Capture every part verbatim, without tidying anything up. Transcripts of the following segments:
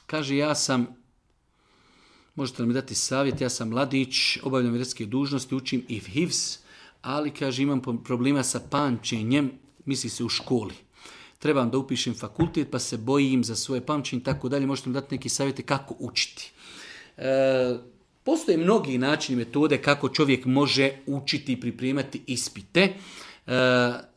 kaže ja sam, možete li mi dati savjet, ja sam mladić, obavljam vjerske dužnosti, učim i hifz, ali kaže imam problema sa pamćenjem, misli se u školi. Trebam da upišem fakultet pa se bojim za svoje pamćenje i tako dalje. Možete mi dati neki savjete kako učiti. E, postoje mnogi načini, metode kako čovjek može učiti i pripremati ispite. E,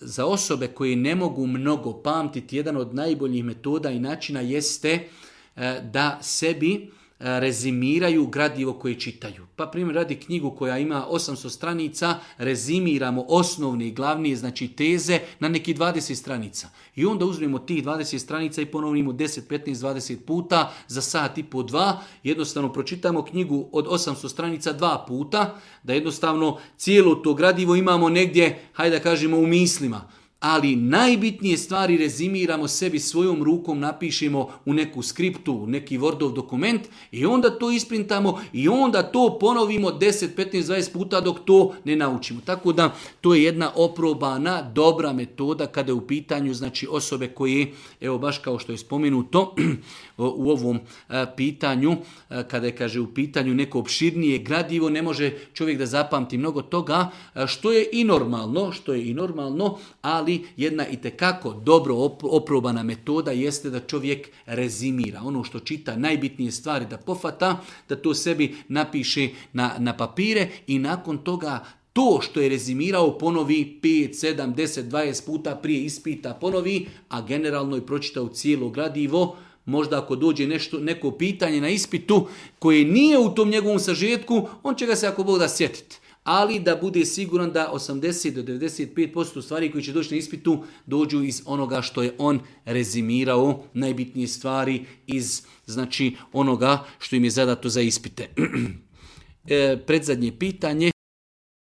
za osobe koje ne mogu mnogo pamtiti, jedan od najboljih metoda i načina jeste e, da sebi rezimiraju gradivo koje čitaju. Pa primjer radi knjigu koja ima osamsto stranica, rezimiramo osnovne i glavnije, znači teze na neki dvadeset stranica. I onda uzmemo tih dvadeset stranica i ponovimo deset, petnaest, dvadeset puta za sat i po dva. Jednostavno pročitamo knjigu od osamsto stranica dva puta, da jednostavno cijelo to gradivo imamo negdje, hajde da kažemo, u mislima. Ali najbitnije stvari rezimiramo sebi svojom rukom, napišemo u neku skriptu, u neki Wordov dokument i onda to isprintamo i onda to ponovimo deset, petnaest, dvadeset puta dok to ne naučimo. Tako da to je jedna oprobana, dobra metoda kada je u pitanju znači osobe koje, evo baš kao što je spomenuto u ovom pitanju, kada je kaže u pitanju neko opširnije gradivo, ne može čovjek da zapamti mnogo toga, što je i normalno, što je i normalno, ali jedna itekako dobro oprobana metoda jeste da čovjek rezimira. Ono što čita, najbitnije stvari da pofata, da to sebi napiše na, na papire i nakon toga to što je rezimirao ponovi pet, sedam, deset, dvadeset puta prije ispita ponovi, a generalno je pročitao cijelo gradivo. Možda ako dođe nešto, neko pitanje na ispitu koje nije u tom njegovom sažetku, on će ga se ako Bog da sjetiti. Ali da bude siguran da osamdeset do devedeset pet posto stvari koji će doći na ispitu dođu iz onoga što je on rezimirao, najbitnije stvari iz znači onoga što im je zadato za ispite. E, predzadnje pitanje,